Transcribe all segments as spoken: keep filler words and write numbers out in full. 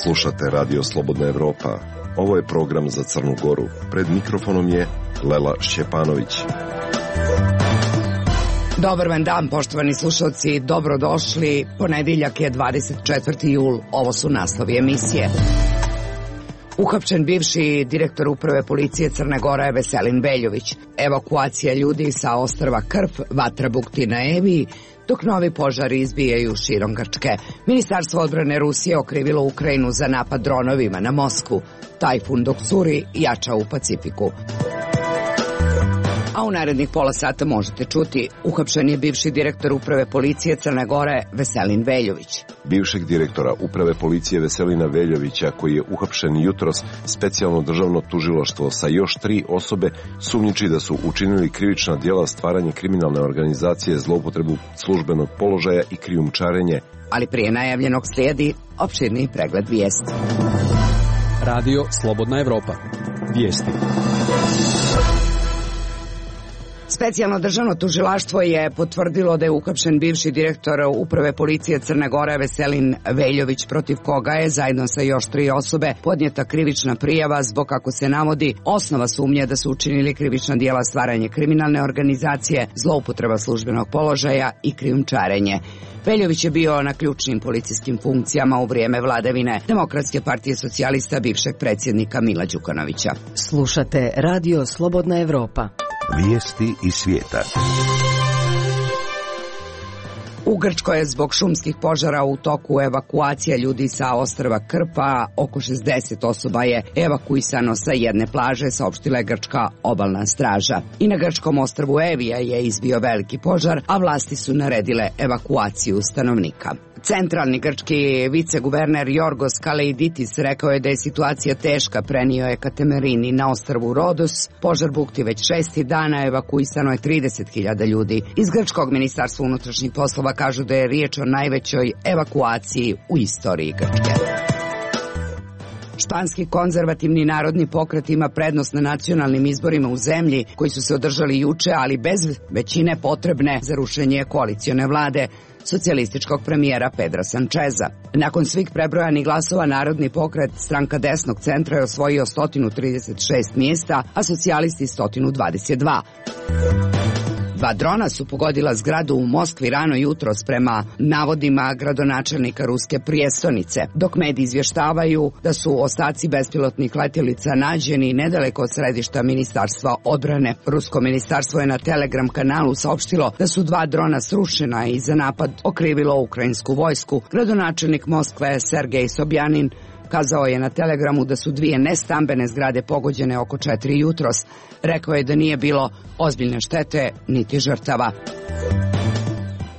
Slušate Radio Slobodna Evropa. Ovo je program za Crnu Goru. Pred mikrofonom je Lela Šćepanović. Dobar vam dan, poštovani slušalci, dobrodošli. Ponedeljak je dvadeset četvrti jul, ovo su naslovi emisije. Uhapšen bivši direktor uprave policije Crne Gore Veselin Veljović. Evakuacija ljudi sa ostrva Krf, vatra bukti na Eviji, dok novi požari izbijaju širom Grčke. Ministarstvo odbrane Rusije okrivilo Ukrajinu za napad dronovima na Moskvu. Tajfun Doksuri jača u Pacifiku. A u narednih pola sata možete čuti, uhapšen je bivši direktor uprave policije Crne Gore Veselin Veljović. Bivšeg direktora uprave policije Veselina Veljovića, koji je uhapšen jutros, specijalno državno tužilaštvo sa još tri osobe sumnjiči da su učinili krivična djela stvaranje kriminalne organizacije, zloupotrebu službenog položaja i krijumčarenje. Ali prije najavljenog slijedi opširni pregled vijesti. Radio Slobodna Evropa. Vijesti. Specijalno državno tužilaštvo je potvrdilo da je uhapšen bivši direktor uprave policije Crne Gore Veselin Veljović, protiv koga je zajedno sa još tri osobe podnijeta krivična prijava zbog, kako se navodi, osnova sumnje da su učinili krivična djela stvaranje kriminalne organizacije, zloupotreba službenog položaja i krijumčarenje. Veljović je bio na ključnim policijskim funkcijama u vrijeme vladavine Demokratske partije socijalista bivšeg predsjednika Mila Đukanovića. Slušate Radio Slobodna Evropa. Vijesti iz svijeta. U Grčkoj je zbog šumskih požara u toku evakuacija ljudi sa ostrva Krpa. Oko šezdeset osoba je evakuisano sa jedne plaže, saopštila je grčka obalna straža. I na grčkom ostrvu Evija je izbio veliki požar, a vlasti su naredile evakuaciju stanovnika. Centralni grčki viceguverner Jorgos Kaleiditis rekao je da je situacija teška, prenio je Katemerini na ostrvu Rodos. Požar bukti već šesti dana, evakuisano je trideset hiljada ljudi. Iz grčkog ministarstva unutrašnjih poslova kažu da je riječ o najvećoj evakuaciji u istoriji Grčke. Španski konzervativni narodni pokret ima prednost na nacionalnim izborima u zemlji koji su se održali juče, ali bez većine potrebne za rušenje koalicione vlade socijalističkog premijera Pedra Sančeza. Nakon svih prebrojanih glasova, narodni pokret, stranka desnog centra, je osvojio sto trideset šest mjesta, a socijalisti sto dvadeset dva. Dva drona su pogodila zgradu u Moskvi rano jutros, prema navodima gradonačelnika ruske prijestolnice, dok mediji izvještavaju da su ostaci bespilotnih letjelica nađeni nedaleko od središta Ministarstva odbrane. Rusko ministarstvo je na Telegram kanalu saopštilo da su dva drona srušena i za napad okrivilo ukrajinsku vojsku. Gradonačelnik Moskve Sergej Sobjanin kazao je na Telegramu da su dvije nestambene zgrade pogođene oko četiri jutros. Rekao je da nije bilo ozbiljne štete niti žrtava.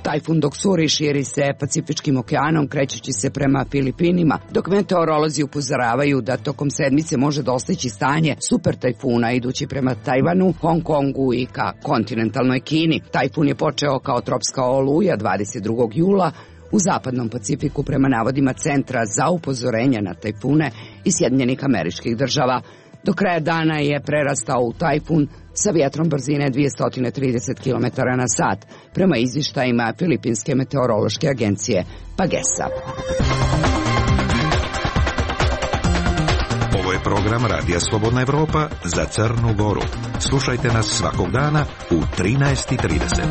Tajfun Doksuri širi se Pacifičkim okeanom, krećući se prema Filipinima, dok meteorolozi upozoravaju da tokom sedmice može dostići stanje super tajfuna idući prema Tajvanu, Hong Kongu i ka kontinentalnoj Kini. Tajfun je počeo kao tropska oluja dvadeset drugog jula u zapadnom Pacifiku, prema navodima Centra za upozorenja na tajfune iz Sjedinjenih Američkih Država. Do kraja dana je prerastao u tajfun sa vjetrom brzine dvjesto trideset kilometara na sat, prema izvještajima Filipinske meteorološke agencije Pagesa. Ovo je program Radija Slobodna Evropa za Crnu Goru. Slušajte nas svakog dana u trinaest i trideset.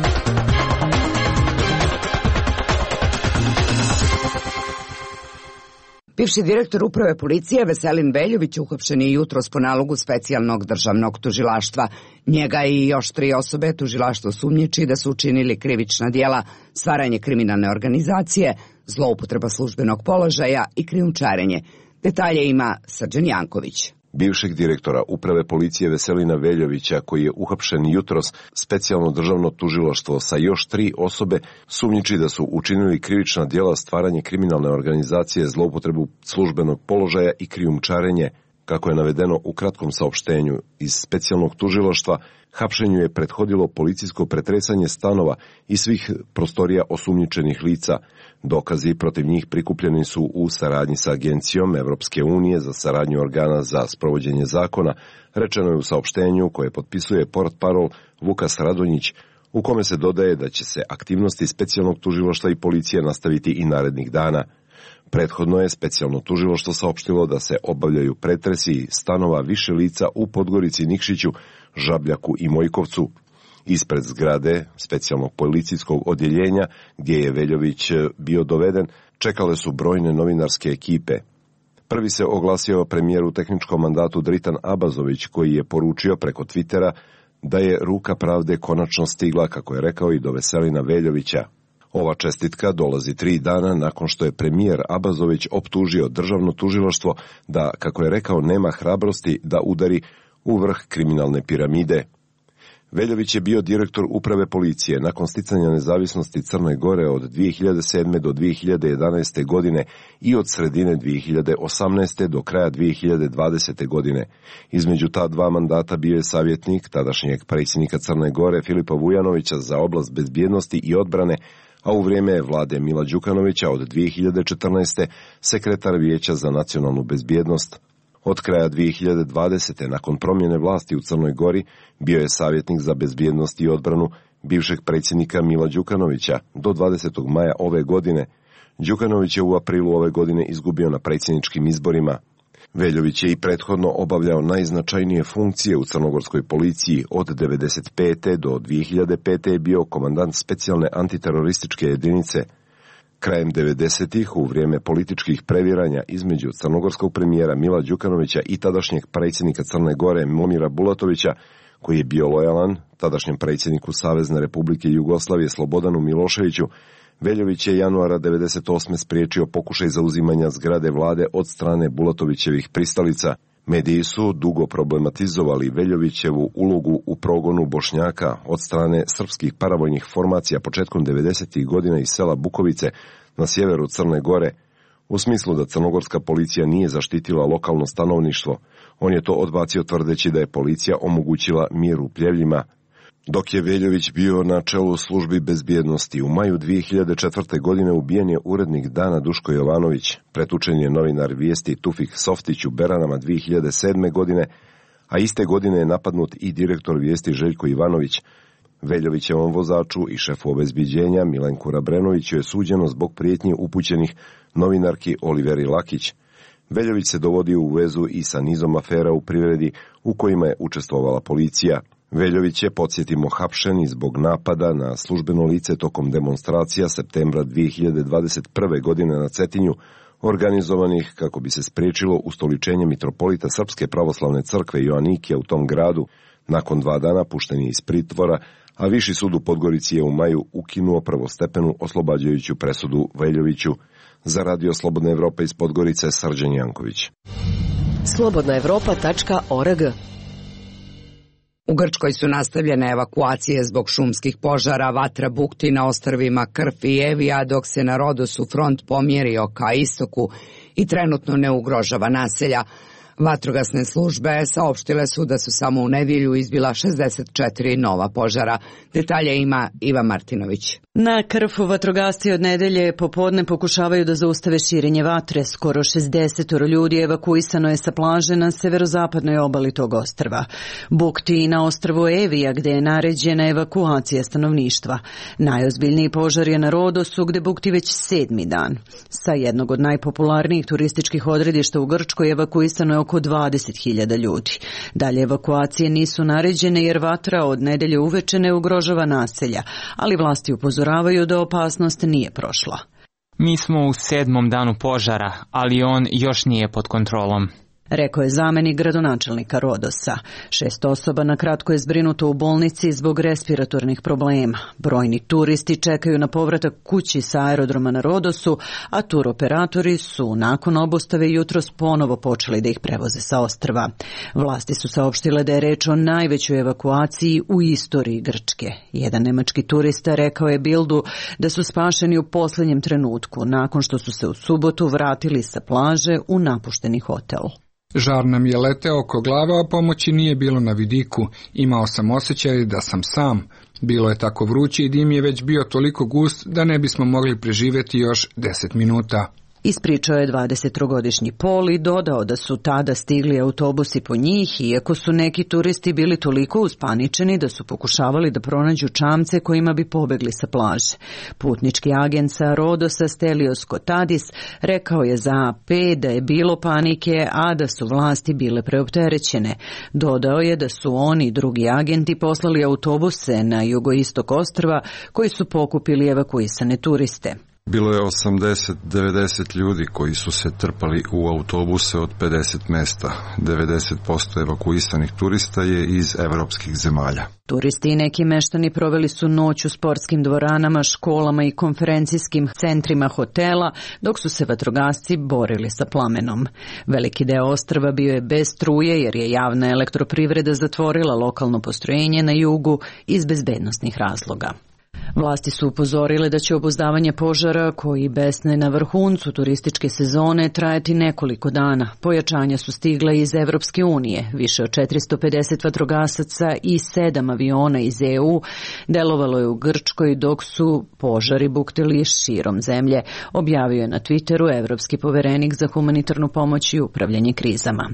Bivši direktor uprave policije Veselin Veljović uhapšen je jutros po nalogu specijalnog državnog tužilaštva. Njega i još tri osobe tužilaštvo sumnjiči da su učinili krivična djela stvaranje kriminalne organizacije, zloupotreba službenog položaja i krijumčarenje. Detalje ima Srđan Janković. Bivšeg direktora uprave policije Veselina Veljovića, koji je uhapšen jutros, specijalno državno tužilaštvo sa još tri osobe sumnjiči da su učinili krivična djela stvaranje kriminalne organizacije, zloupotrebu službenog položaja i krijumčarenje. Kako je navedeno u kratkom saopštenju iz specijalnog tužilaštva, hapšenju je prethodilo policijsko pretresanje stanova i svih prostorija osumnjičenih lica. Dokazi protiv njih prikupljeni su u saradnji sa Agencijom Evropske unije za saradnju organa za sprovođenje zakona, rečeno je u saopštenju koje potpisuje portparol Vukas Radonjić. u kome se dodaje da će se aktivnosti specijalnog tužilaštva i policije nastaviti i narednih dana. Prethodno je specijalno tužilaštvo saopštilo da se obavljaju pretresi stanova više lica u Podgorici, Nikšiću, Žabljaku i Mojkovcu. Ispred zgrade specijalnog policijskog odjeljenja, gdje je Veljović bio doveden, čekale su brojne novinarske ekipe. Prvi se oglasio premijer u tehničkom mandatu Dritan Abazović, koji je poručio preko Twittera da je ruka pravde konačno stigla, kako je rekao, i do Veselina Veljovića. Ova čestitka dolazi tri dana nakon što je premijer Abazović optužio državno tužilaštvo da, kako je rekao, nema hrabrosti da udari u vrh kriminalne piramide. Veljović je bio direktor uprave policije nakon sticanja nezavisnosti Crne Gore od dvije hiljade sedme. do dvije hiljade jedanaeste. godine i od sredine dvije hiljade osamnaeste. do kraja dvije hiljade dvadesete. godine. Između ta dva mandata bio je savjetnik tadašnjeg predsjednika Crne Gore Filipa Vujanovića za oblast bezbjednosti i odbrane, a u vrijeme vlade Mila Đukanovića od dvije hiljade četrnaeste. sekretar Vijeća za nacionalnu bezbjednost. Od kraja dvije hiljade dvadesete. nakon promjene vlasti u Crnoj Gori, bio je savjetnik za bezbjednost i odbranu bivšeg predsjednika Mila Đukanovića do dvadesetog maja ove godine. Đukanović je u aprilu ove godine izgubio na predsjedničkim izborima. Veljović je i prethodno obavljao najznačajnije funkcije u crnogorskoj policiji. Od devedeset pete. do dvije hiljade pete. je bio komandant specijalne antiterorističke jedinice. Krajem devedesetih. u vrijeme političkih previranja između crnogorskog premijera Mila Đukanovića i tadašnjeg predsjednika Crne Gore Momira Bulatovića, koji je bio lojalan tadašnjem predsjedniku Savezne Republike Jugoslavije Slobodanu Miloševiću, Veljović je januara devedeset osme. spriječio pokušaj zauzimanja zgrade vlade od strane Bulatovićevih pristalica. Mediji su dugo problematizovali Veljovićevu ulogu u progonu Bošnjaka od strane srpskih paravojnih formacija početkom devedesetih godina iz sela Bukovice na sjeveru Crne Gore, u smislu da crnogorska policija nije zaštitila lokalno stanovništvo. On je to odbacio tvrdeći da je policija omogućila mir u Pljevljima. Dok je Veljović bio na čelu službi bezbjednosti, u maju dvije hiljade četvrte. godine ubijen je urednik Dana Duško Jovanović, pretučen je novinar Vijesti Tufik Softić u Beranama dvije hiljade sedme. godine, a iste godine je napadnut i direktor Vijesti Željko Ivanović. Veljovićevom vozaču i šefu obezbiđenja Milenku Rabrenoviću je suđeno zbog prijetnji upućenih novinarki Oliveri Lakić. Veljović se dovodio u vezu i sa nizom afera u privredi u kojima je učestvovala policija. Veljović je, podsjetimo, hapšen i zbog napada na službeno lice tokom demonstracija septembra dvije hiljade dvadeset prve. godine na Cetinju, organizovanih kako bi se spriječilo ustoličenje mitropolita Srpske pravoslavne crkve Joanikija u tom gradu. Nakon dva dana pušten je iz pritvora, a Viši sud u Podgorici je u maju ukinuo prvostepenu oslobađajuću presudu Veljoviću. Za Radio Slobodna Evropa iz Podgorice, Srđan Janković. slobodna evropa tačka org. U Grčkoj su nastavljene evakuacije zbog šumskih požara, vatra bukti na ostrvima Krf i Evija, dok se na Rodosu front pomjerio ka istoku i trenutno ne ugrožava naselja. Vatrogasne službe saopštile su da su samo u nedjelju izbila šezdeset četiri nova požara. Detalje ima Iva Martinović. Na Krfu vatrogasci od nedelje popodne pokušavaju da zaustave širenje vatre. Skoro šezdeset ljudi evakuisano je sa plaže na severozapadnoj obali tog ostrva. Bukti na ostrvu Evija, gde je naređena evakuacija stanovništva. Najozbiljniji požar je na Rodosu, gde bukti već sedmi dan. Sa jednog od najpopularnijih turističkih odredišta u Grčkoj evakuisano je oko dvadeset hiljada ljudi. Dalje evakuacije nisu naređene jer vatra od nedelje uveče ne ugrožava naselja, ali vlasti upozoravaju da opasnost nije prošla. Mi smo u sedmom danu požara, ali on još nije pod kontrolom, rekao je zamenik gradonačelnika Rodosa. Šest osoba na kratko je zbrinuto u bolnici zbog respiratornih problema. Brojni turisti čekaju na povratak kući sa aerodroma na Rodosu, a turoperatori su nakon obustave jutros ponovo počeli da ih prevoze sa ostrva. Vlasti su saopštile da je reč o najvećoj evakuaciji u istoriji Grčke. Jedan nemački turista rekao je Bildu da su spašeni u posljednjem trenutku, nakon što su se u subotu vratili sa plaže u napušteni hotel. Žar nam je leteo oko glave, a pomoći nije bilo na vidiku. Imao sam osjećaj da sam sam. Bilo je tako vruće i dim je već bio toliko gust da ne bismo mogli preživjeti još deset minuta. Ispričao je dvadesettrogodišnji Pol i dodao da su tada stigli autobusi po njih, iako su neki turisti bili toliko uspaničeni da su pokušavali da pronađu čamce kojima bi pobegli sa plaže. Putnički agent sa Rodosa Stelios Kotadis rekao je za A P da je bilo panike, a da su vlasti bile preopterećene. Dodao je da su oni i drugi agenti poslali autobuse na jugoistok ostrva koji su pokupili evakuisane turiste. Bilo je osamdeset do devedeset ljudi koji su se trpali u autobuse od pedeset mesta. devedeset posto evakuisanih turista je iz evropskih zemalja. Turisti i neki meštani proveli su noć u sportskim dvoranama, školama i konferencijskim centrima hotela, dok su se vatrogasci borili sa plamenom. Veliki deo ostrva bio je bez struje jer je javna elektroprivreda zatvorila lokalno postrojenje na jugu iz bezbednosnih razloga. Vlasti su upozorile da će obuzdavanje požara, koji besne na vrhuncu turističke sezone, trajati nekoliko dana. Pojačanja su stigla iz Evropske unije. Više od četiristo pedeset vatrogasaca i sedam aviona iz E U delovalo je u Grčkoj dok su požari buktili širom zemlje, objavio je na Twitteru evropski poverenik za humanitarnu pomoć i upravljanje krizama.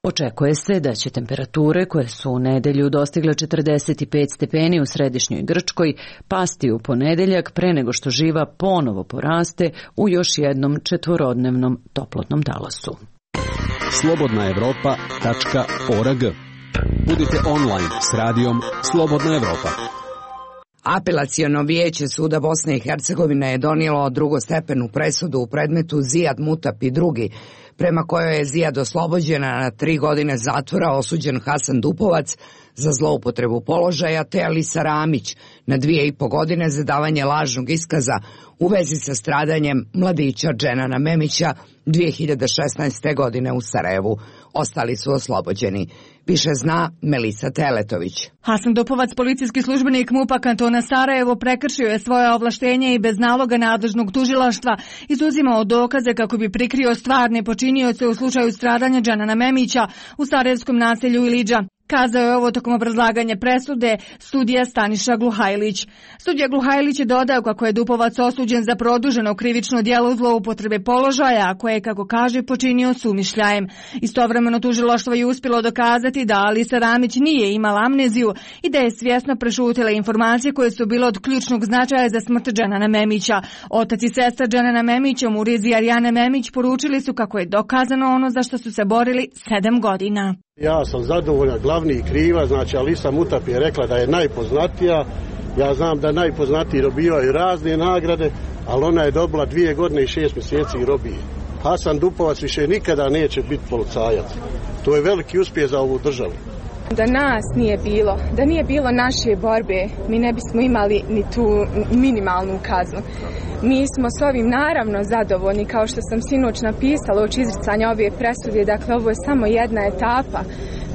Očekuje se da će temperature, koje su u nedelju dostigle četrdeset pet stepeni u središnjoj Grčkoj, pasti u ponedeljak pre nego što živa ponovo poraste u još jednom četvorodnevnom toplotnom talasu. slobodna evropa tačka org. Budite online s radijom Slobodna Evropa. Apelaciono vijeće suda Bosne i Hercegovine je donijelo drugostepenu presudu u predmetu Zijad Mutap i drugi, prema kojoj je Zijad oslobođena na tri godine zatvora osuđen Hasan Dupovac za zloupotrebu položaja, te Alisa Ramić na dvije i po godine za davanje lažnog iskaza u vezi sa stradanjem mladića Dženana Memića dvije hiljade šesnaeste. godine u Sarajevu. Ostali su oslobođeni. Više zna Melisa Teletović. Hasan Dupovac, policijski službenik MUP-a kantona Sarajevo, prekršio je svoje ovlaštenje i bez naloga nadležnog tužilaštva izuzimao dokaze kako bi prikrio stvarne počinioce u slučaju stradanja Dženana Memića u sarajevskom naselju Ilidža. Kazao je ovo tokom obrazlaganja presude sudija Staniša Gluhajlić. Sudija Gluhajlić je dodao kako je Dupovac osuđen za produženo krivično djelo zloupotrebe položaja, a koje je, kako kaže, počinio sumišljajem. Istovremeno tužilaštvo je uspjelo dokazati da Alisa Ramić nije imala amneziju i da je svjesno prešutila informacije koje su bile od ključnog značaja za smrt Dženana Memića. Otac i sestra Dženana Memića, Muriz i Arijana Memić, poručili su kako je dokazano ono za što su se borili sedam godina. Ja sam zadovoljan, glavni i kriva, znači Alisa Mutap je rekla da je najpoznatija. Ja znam da najpoznatiji dobivaju razne nagrade, ali ona je dobila dvije godine i šest mjeseci robije. Hasan Dupovac više nikada neće biti policajac. To je veliki uspjeh za ovu državu. Da nas nije bilo, da nije bilo naše borbe, mi ne bismo imali ni tu minimalnu kaznu. Mi smo s ovim naravno zadovoljni, kao što sam sinoć napisala uoči izricanja ove presude, dakle ovo je samo jedna etapa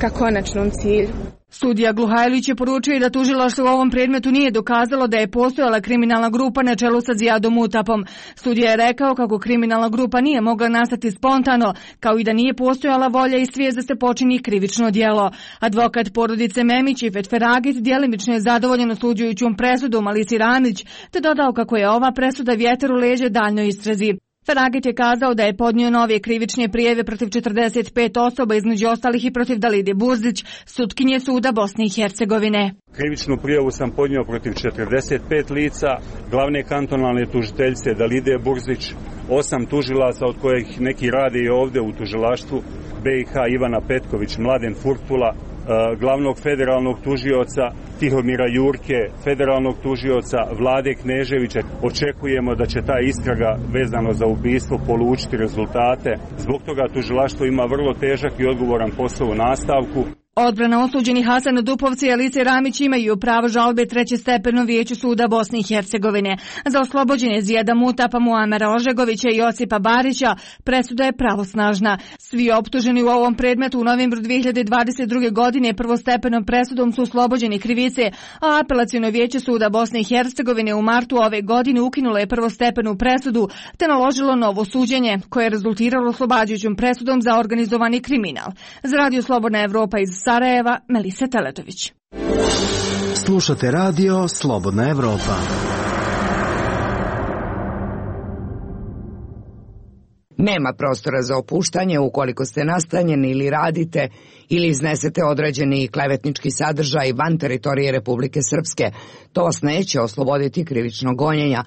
ka konačnom cilju. Sudija Gluhajlić je poručio da tužilaštvo u ovom predmetu nije dokazalo da je postojala kriminalna grupa na čelu sa Zijadom Mutapom. Sudija je rekao kako kriminalna grupa nije mogla nastati spontano, kao i da nije postojala volja i svijest da se počini krivično djelo. Advokat porodice Memić i Fetferagit djelimično je zadovoljen osuđujućom presudom Alisi Ramić, te dodao kako je ova presuda vjetar u leđe daljnjoj istrazi. Feragit je kazao da je podnio nove krivične prijave protiv četrdeset pet osoba, između ostalih i protiv Dalide Burzić, sutkinje suda Bosne i Hercegovine. Krivičnu prijavu sam podnio protiv četrdeset pet lica, glavne kantonalne tužiteljice Dalide Burzić, osam tužilaca od kojih neki rade i ovdje u tužilaštvu, B i H Ivana Petković, Mladen Furtula, glavnog federalnog tužioca Tihomira Jurke, federalnog tužioca Vlade Kneževića. Očekujemo da će ta istraga vezano za ubistvo polučiti rezultate. Zbog toga tužilaštvo ima vrlo težak i odgovoran posao u nastavku. Odbrana osuđenih Hasanu Dupovca i Alise Ramić imaju pravo žalbe treće stepeno vijeću suda Bosne i Hercegovine. Za oslobođenje Zijada Mutapa, Muamera Ožegovića i Josipa Barića presuda je pravosnažna. Svi optuženi u ovom predmetu u novembru dvije hiljade dvadeset druge. godine prvostepenom presudom su oslobođeni krivice, a apelaciono vijeće suda Bosne i Hercegovine u martu ove godine ukinulo je prvostepenu presudu te naložilo novo suđenje, koje je rezultiralo oslobađajućom presudom za organizovani kriminal. Za Radio Slobodna Evropa iz Sarajeva, Melisa Teletović. Slušate Radio Slobodna Evropa. Nema prostora za opuštanje ukoliko ste nastanjeni ili radite ili iznesete određeni klevetnički sadržaj van teritorije Republike Srpske. To vas neće osloboditi krivičnog gonjenja,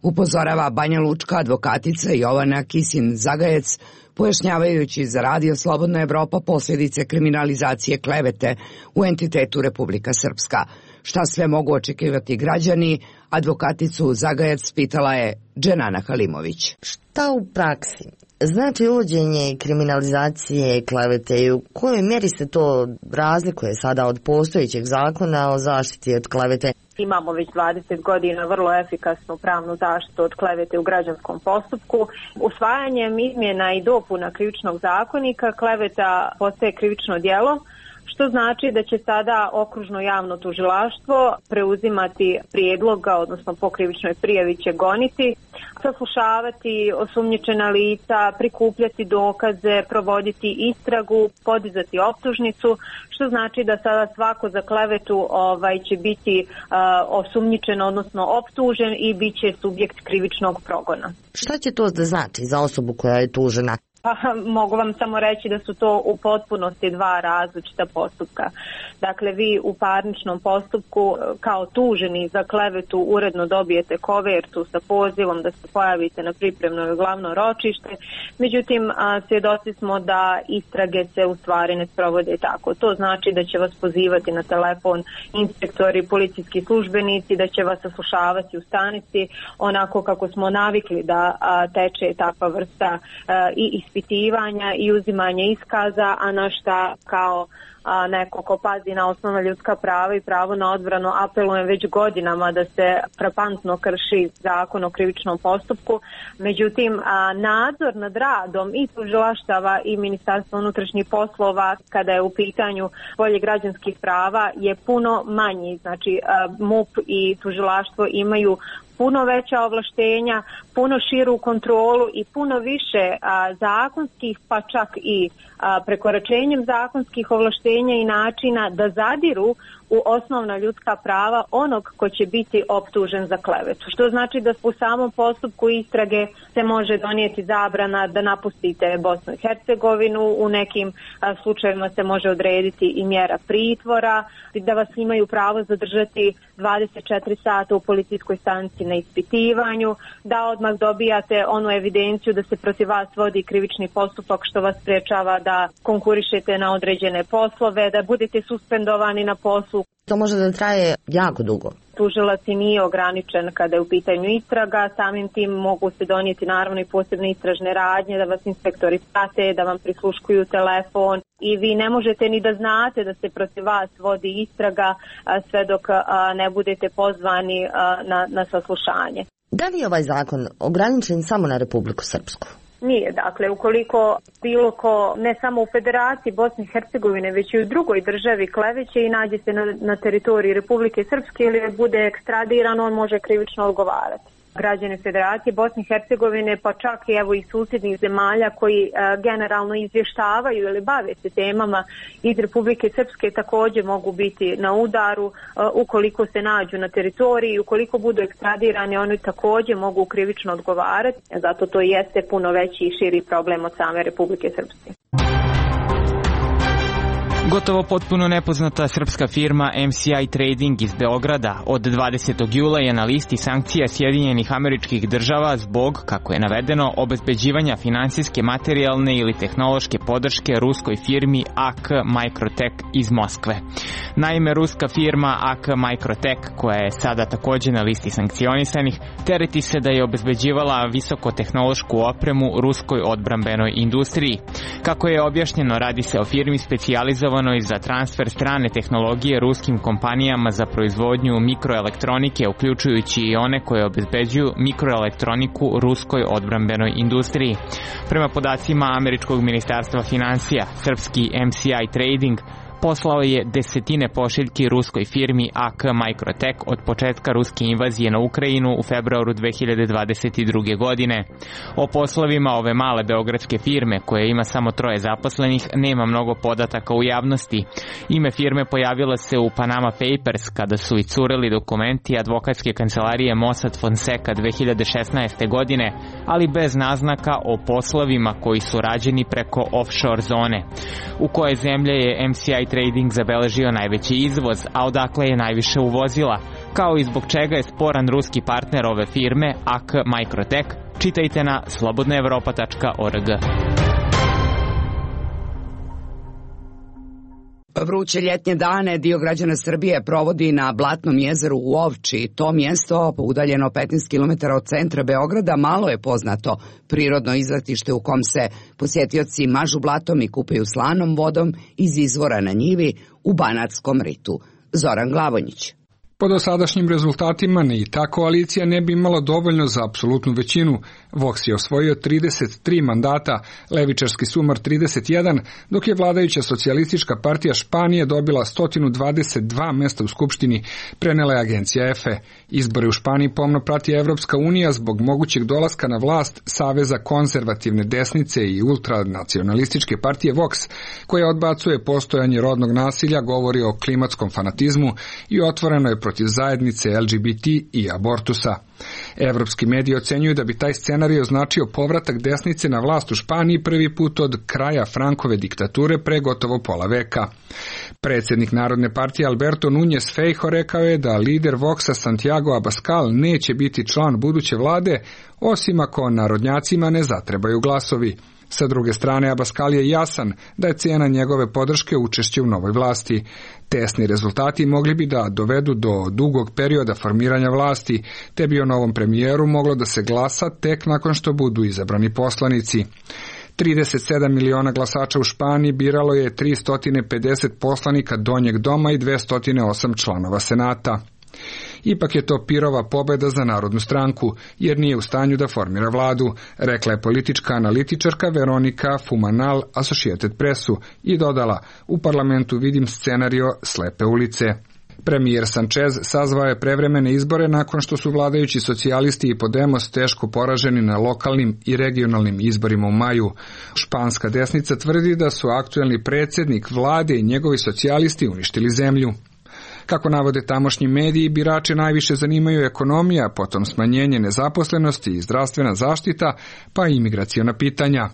upozorava Banja Lučka advokatica Jovana Kisin-Zagajec, pojašnjavajući za Radio Slobodna Evropa posljedice kriminalizacije klevete u entitetu Republika Srpska. Šta sve mogu očekivati građani, advokaticu Zagajec pitala je Dženana Halimović. Šta u praksi znači uvođenje kriminalizacije klevete i u kojoj mjeri se to razlikuje sada od postojećeg zakona o zaštiti od klevete? Imamo već dvadeset godina vrlo efikasnu pravnu zaštitu od klevete u građanskom postupku. Usvajanjem izmjena i dopuna krivičnog zakonika kleveta postaje krivično djelo, što znači da će sada okružno javno tužilaštvo preuzimati prijedloga, odnosno po krivičnoj prijavi će goniti, saslušavati osumnjičena lica, prikupljati dokaze, provoditi istragu, podizati optužnicu, što znači da sada svako za klevetu ovaj, će biti uh, osumnjičen, odnosno optužen i bit će subjekt krivičnog progona. Šta će to da znači za osobu koja je tužena? Pa mogu vam samo reći da su to u potpunosti dva različita postupka. Dakle, vi u parničnom postupku kao tuženi za klevetu uredno dobijete kovertu sa pozivom da se pojavite na pripremno glavno ročište. Međutim, svjedoci smo da istrage se u stvari ne sprovode tako. To znači da će vas pozivati na telefon inspektori, policijski službenici, da će vas saslušavati u stanici onako kako smo navikli da teče takva vrsta i ispitivanja i uzimanje iskaza, a na šta kao a, neko ko pazi na osnovna ljudska prava i pravo na odbranu apelujem već godinama da se frapantno krši zakon o krivičnom postupku. Međutim, a, nadzor nad radom i tužilaštava i Ministarstva unutrašnjih poslova kada je u pitanju polje građanskih prava je puno manji. Znači, a, M U P i tužilaštvo imaju puno veća ovlaštenja, puno širu kontrolu i puno više a, zakonskih, pa čak i a, prekoračenjem zakonskih ovlaštenja i načina da zadiru u osnovna ljudska prava onog ko će biti optužen za klevetu. Što znači da u samom postupku istrage se može donijeti zabrana da napustite Bosnu i Hercegovinu, u nekim a, slučajevima se može odrediti i mjera pritvora, da vas imaju pravo zadržati dvadeset četiri sata u policijskoj stanici na ispitivanju, da odmah dobijate onu evidenciju da se protiv vas vodi krivični postupak što vas sprečava da konkurišete na određene poslove, da budete suspendovani na poslu. To može da traje jako dugo. Tužilac i nije ograničen kada je u pitanju istraga, samim tim mogu se donijeti naravno i posebne istražne radnje, da vas inspektori prate, da vam prisluškuju telefon i vi ne možete ni da znate da se protiv vas vodi istraga sve dok ne budete pozvani na, na saslušanje. Da li je ovaj zakon ograničen samo na Republiku Srpsku? Nije, dakle, ukoliko bilo ko, ne samo u Federaciji Bosne i Hercegovine, već i u drugoj državi kleveće i nađe se na, na teritoriji Republike Srpske ili bude ekstradiran, on može krivično odgovarati. Građani Federacije Bosne i Hercegovine, pa čak i evo i susjednih zemalja koji e, generalno izvještavaju ili bave se temama iz Republike Srpske također mogu biti na udaru e, ukoliko se nađu na teritoriji, ukoliko budu ekstradirani, oni također mogu krivično odgovarati, zato to jeste puno veći i širi problem od same Republike Srpske. Gotovo potpuno nepoznata srpska firma M C I Trading iz Beograda od dvadesetog jula je na listi sankcija Sjedinjenih Američkih Država zbog, kako je navedeno, obezbeđivanja finansijske, materijalne ili tehnološke podrške ruskoj firmi A K Microtech iz Moskve. Naime, ruska firma A K Microtech, koja je sada također na listi sankcionisanih, tereti se da je obezbeđivala visokotehnološku opremu ruskoj odbrambenoj industriji. Kako je objašnjeno, radi se o firmi specijalizovanoj za transfer strane tehnologije ruskim kompanijama za proizvodnju mikroelektronike, uključujući i one koje obezbeđuju mikroelektroniku ruskoj odbrambenoj industriji. Prema podacima Američkog ministarstva financija, srpski M C I Trading poslao je desetine pošiljki ruskoj firmi A K Microtech od početka ruske invazije na Ukrajinu u februaru dve hiljade dvadeset druge. godine. O poslovima ove male beogradske firme, koja ima samo troje zaposlenih, nema mnogo podataka u javnosti. Ime firme pojavilo se u Panama Papers kada su i curili dokumenti advokatske kancelarije Mossad Fonseca dve hiljade šesnaeste. godine, ali bez naznaka o poslovima koji su rađeni preko offshore zone. U koje zemlje je M C I Trading zabeležio najveći izvoz, a odakle je najviše uvozila, kao i zbog čega je sporan ruski partner ove firme A K Microtech, čitajte na slobodna evropa tačka org. Vruće ljetnje dane dio građana Srbije provodi na Blatnom jezeru u Ovči. To mjesto, udaljeno petnaest kilometara od centra Beograda, malo je poznato prirodno izletište u kom se posjetioci mažu blatom i kupaju slanom vodom iz izvora na njivi u Banatskom ritu. Zoran Glavonjić. Po dosadašnjim rezultatima ni ta koalicija ne bi imala dovoljno za apsolutnu većinu. Vox je osvojio trideset tri mandata, levičarski Sumar trideset jedan, dok je vladajuća socijalistička partija Španije dobila sto dvadeset dva mesta u Skupštini, prenela je agencija E F E. Izbori u Španiji pomno prati Evropska unija zbog mogućeg dolaska na vlast Saveza konzervativne desnice i ultranacionalističke partije Vox, koja odbacuje postojanje rodnog nasilja, govori o klimatskom fanatizmu i otvoreno je protiv zajednice L G B T i abortusa. Evropski mediji ocenjuju da bi taj scenarij označio povratak desnice na vlast u Španiji prvi put od kraja Frankove diktature pre gotovo pola veka. Predsjednik Narodne partije Alberto Núñez Feijóo rekao je da lider Voxa Santiago Abascal neće biti član buduće vlade, osim ako narodnjacima ne zatrebaju glasovi. Sa druge strane, Abascal je jasan da je cena njegove podrške učešće u novoj vlasti. Tesni rezultati mogli bi da dovedu do dugog perioda formiranja vlasti, te bi o novom premijeru moglo da se glasa tek nakon što budu izabrani poslanici. trideset sedam miliona glasača u Španiji biralo je tristo pedeset poslanika donjeg doma i dvesta osam članova senata. Ipak je to pirova pobjeda za Narodnu stranku, jer nije u stanju da formira vladu, rekla je politička analitičarka Veronika Fumanal Associated Pressu i dodala: u parlamentu vidim scenario slepe ulice. Premijer Sanchez sazvao je prevremene izbore nakon što su vladajući socijalisti i Podemos teško poraženi na lokalnim i regionalnim izborima u maju. Španska desnica tvrdi da su aktuelni predsjednik vlade i njegovi socijalisti uništili zemlju. Kako navode tamošnji mediji, birače najviše zanimaju ekonomija, potom smanjenje nezaposlenosti i zdravstvena zaštita, pa i imigraciona pitanja.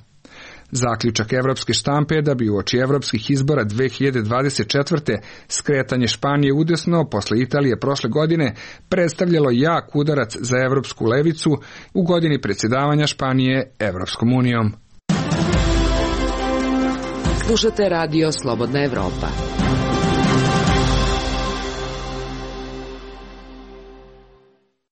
Zaključak evropske štampe je da bi uoči evropskih izbora dve hiljade dvadeset četvrte. skretanje Španije udesno posle Italije prošle godine predstavljalo jak udarac za evropsku levicu u godini predsjedavanja Španije Evropskom unijom. Slušate radio Slobodna Evropa.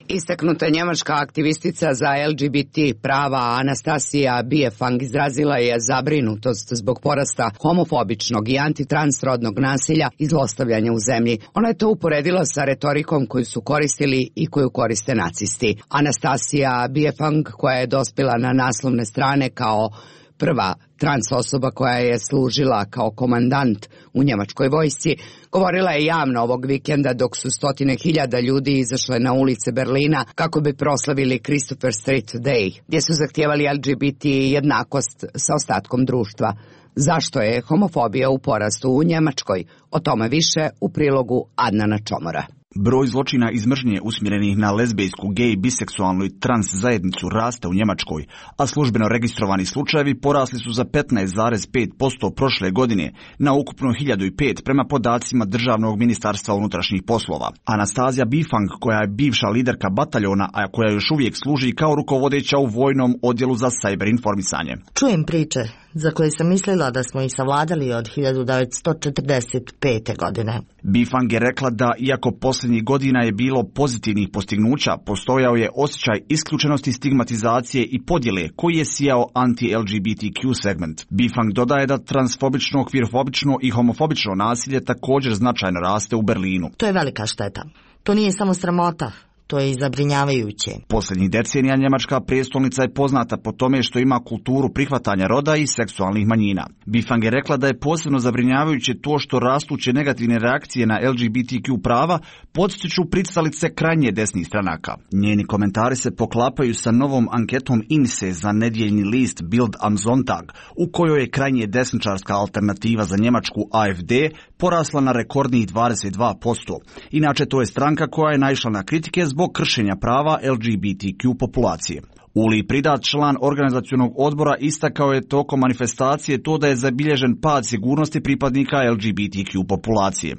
Istaknuta njemačka aktivistica za L G B T prava Anastasija Biefang izrazila je zabrinutost zbog porasta homofobičnog i antitransrodnog nasilja i zlostavljanja u zemlji. Ona je to uporedila sa retorikom koju su koristili i koju koriste nacisti. Anastasija Biefang, koja je dospjela na naslovne strane kao prva trans osoba koja je služila kao komandant u njemačkoj vojsci, govorila je javno ovog vikenda dok su stotine hiljada ljudi izašle na ulice Berlina kako bi proslavili Christopher Street Day, gdje su zahtijevali L G B T jednakost sa ostatkom društva. Zašto je homofobija u porastu u Njemačkoj? O tome više u prilogu Adnana Čomora. Broj zločina iz mržnje usmjerenih na lezbejsku, gej, biseksualnu i trans zajednicu raste u Njemačkoj, a službeno registrovani slučajevi porasli su za petnaest zarez pet posto prošle godine na ukupno hiljadu pet prema podacima Državnog ministarstva unutrašnjih poslova. Anastazija Biefang, koja je bivša liderka bataljona, a koja još uvijek služi kao rukovodeća u vojnom odjelu za sajber informisanje. Čujem priče za koje sam mislila da smo ih savladali od hiljadu devetsto četrdeset pete. godine. Biefang je rekla da, iako posljednjih godina je bilo pozitivnih postignuća, postojao je osjećaj isključenosti, stigmatizacije i podjele koji je sijao anti-L G B T Q segment. Biefang dodaje da transfobično, kvirfobično i homofobično nasilje također značajno raste u Berlinu. To je velika šteta. To nije samo sramota. To je i zabrinjavajuće. Posljednjih decenija njemačka prijestolnica je poznata po tome što ima kulturu prihvatanja roda i seksualnih manjina. Bifang je rekla da je posebno zabrinjavajuće to što rastuće negativne reakcije na L G B T Q prava podstiču pristalice krajnje desnih stranaka. Njeni komentari se poklapaju sa novom anketom I N S E za nedjeljni list Bild am Sonntag, u kojoj je krajnje desničarska alternativa za Njemačku A F D porasla na rekordnih dvadeset dva posto. Inače, to je stranka koja je naišla na kritike zbog kršenja prava L G B T Q populacije. Uli Pridat, član organizacionog odbora, istakao je tokom manifestacije to da je zabilježen pad sigurnosti pripadnika L G B T Q populacije.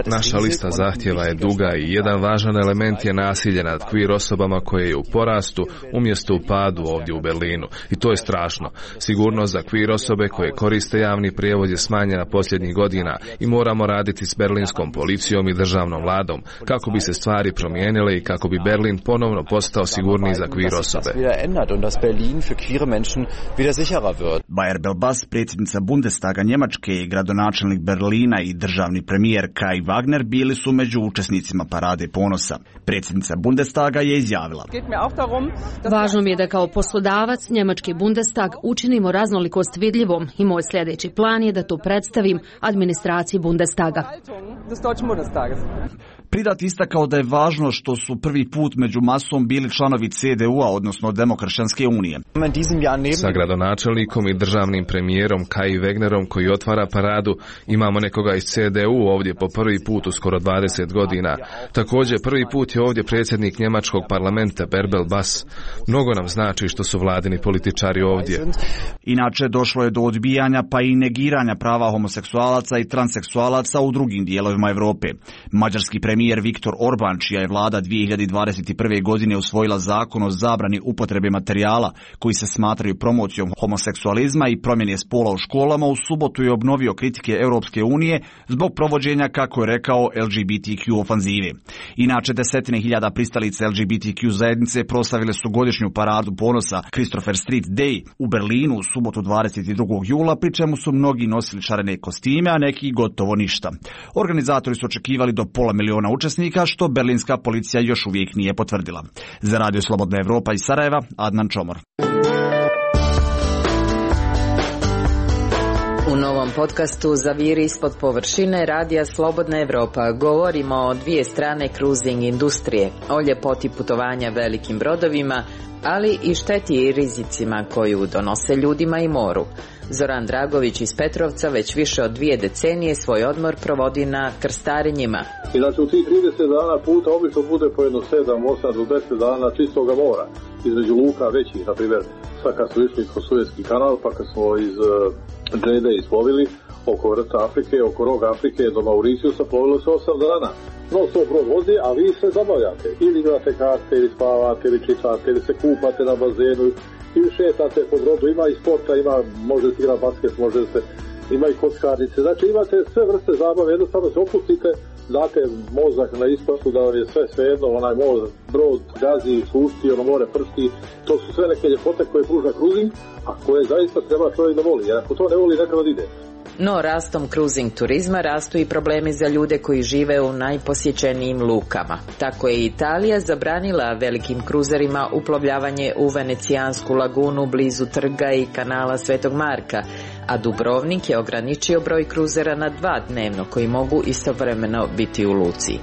Naša lista zahtjeva je duga i jedan važan element je nasilje nad queer osobama koje je u porastu umjesto u padu ovdje u Berlinu. I to je strašno. Sigurnost za queer osobe koje koriste javni prijevoz je smanjena posljednjih godina i moramo raditi s berlinskom policijom i državnom vladom kako bi se stvari promijenile i kako bi Berlin ponovno postao sigurniji za queer osobe. Bayer Belbas, predsjednica Bundestaga Njemačke i gradonačelnik Berlina i državni premijer Kai Wagner bili su među učesnicima parade ponosa. Predsjednica Bundestaga je izjavila: Važno mi je da kao poslodavac njemački Bundestag učinimo raznolikost vidljivom i moj sljedeći plan je da to predstavim administraciji Bundestaga. Pridat istakao da je važno što su prvi put među masom bili članovi C D U-a, odnosno Demokršćanske unije. Sa gradonačelnikom i državnim premijerom Kai Wegnerom koji otvara paradu, imamo nekoga iz C D U ovdje po prvi put u skoro dvadeset godina. Također prvi put je ovdje predsjednik njemačkog parlamenta Berbel Bas. Mnogo nam znači što su vladini političari ovdje. Inače, došlo je do odbijanja pa i negiranja prava homoseksualaca i transseksualaca u drugim dijelovima Europe. Mađarski premijer Viktor Orban, čija je vlada dvije hiljade dvadeset prve. godine usvojila zakon o zabrani upotrebe materijala koji se smatraju promocijom homoseksualizma i promjene spola u školama, u subotu je obnovio kritike Europske unije zbog provođenja, kako je rekao, L G B T Q ofanzive. Inače, desetine hiljada pristalica L G B T Q zajednice proslavile su godišnju paradu ponosa Christopher Street Day u Berlinu u subotu dvadeset drugog jula, pri čemu su mnogi nosili šarene kostime, a neki gotovo ništa. Organizatori su očekivali do pola miliona učesnika, što berlinska policija još uvijek nije potvrdila. Za Radio Slobodna Evropa iz Sarajeva, Adnan Čomor. U novom podcastu Zaviri ispod površine Radija Slobodna Evropa govorimo o dvije strane cruising industrije, o ljepoti putovanja velikim brodovima, ali i šteti i rizicima koju donose ljudima i moru. Zoran Dragović iz Petrovca već više od dvije decenije svoj odmor provodi na krstarenjima. I znači u tih trideset dana puta obično bude po jedno sedam, osam do deset dana čistoga mora. Između luka većih, na primjer, sad kad smo išli kroz Suezki kanal, pa kad smo iz uh, Džede isplovili oko vrta Afrike, oko roga Afrike do Mauriciusa, plovilo se osam dana. No, to brod vozi, a vi se zabavljate. Ili igrate karte, ili spavate, ili čitate, ili se kupate na bazenu, ili šetate po brodu. Ima i sporta, ima, možete igrati basket, možete, ima i kockarnice. Znači imate sve vrste zabave, jednostavno se opustite, date mozak na isplatu da vam je sve svejedno, onaj mozak, brod gazi, sušti, ono more pršti. To su sve neke ljepote koje pruža cruising, a koje zaista treba čovjek da voli. Jer ako to ne voli, nekada ide. No, rastom cruising turizma rastu i problemi za ljude koji žive u najposjećenijim lukama. Tako je Italija zabranila velikim kruzerima uplovljavanje u Venecijansku lagunu blizu trga i kanala Svetog Marka, a Dubrovnik je ograničio broj kruzera na dva dnevno koji mogu istovremeno biti u luci.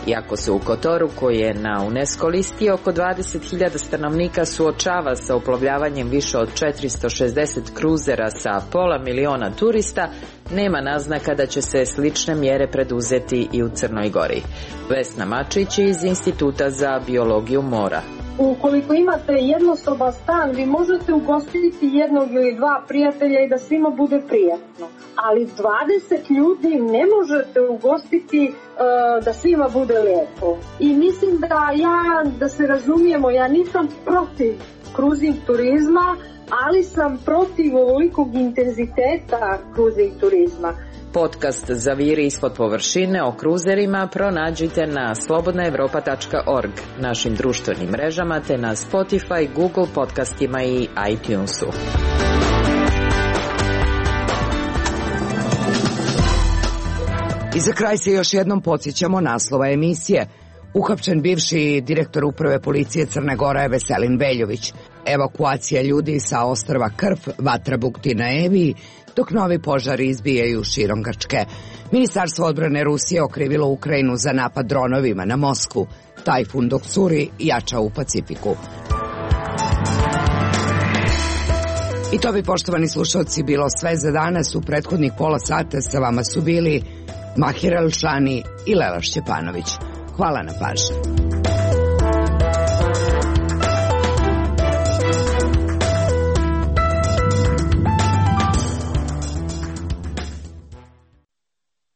Iako se u Kotoru, koji je na UNESCO listi, oko dvadeset hiljada stanovnika suočava sa uplovljavanjem više od četiristo šezdeset kruzera sa pola miliona turista, nema naznaka da će se slične mjere preduzeti i u Crnoj Gori. Vesna Mačić iz Instituta za biologiju mora. Ukoliko imate jednosoban stan, vi možete ugostiti jednog ili dva prijatelja i da svima bude prijatno. Ali dvadeset ljudi ne možete ugostiti uh, da svima bude lijepo. I mislim da ja, da se razumijemo, ja nisam protiv cruising turizma, ali sam protiv ovolikog intenziteta cruising turizma. Podcast Zaviri ispod površine o kruzerima pronađite na slobodna evropa tačka org, našim društvenim mrežama, te na Spotify, Google podcastima i iTunesu. I za kraj se još jednom podsjećamo naslova emisije. Uhapšen bivši direktor uprave policije Crne Gore Veselin Veljović. Evakuacija ljudi sa ostrva Krf, vatra bukti na Eviji, dok novi požari izbijaju širom Grčke. Ministarstvo odbrane Rusije okrivilo Ukrajinu za napad dronovima na Moskvu. Tajfun dok curi jača u Pacifiku. I to bi, poštovani slušalci, bilo sve za danas. U prethodnih pola sata sa vama su bili Mahir Elšani i Lela Šćepanović. Hvala na pažnji.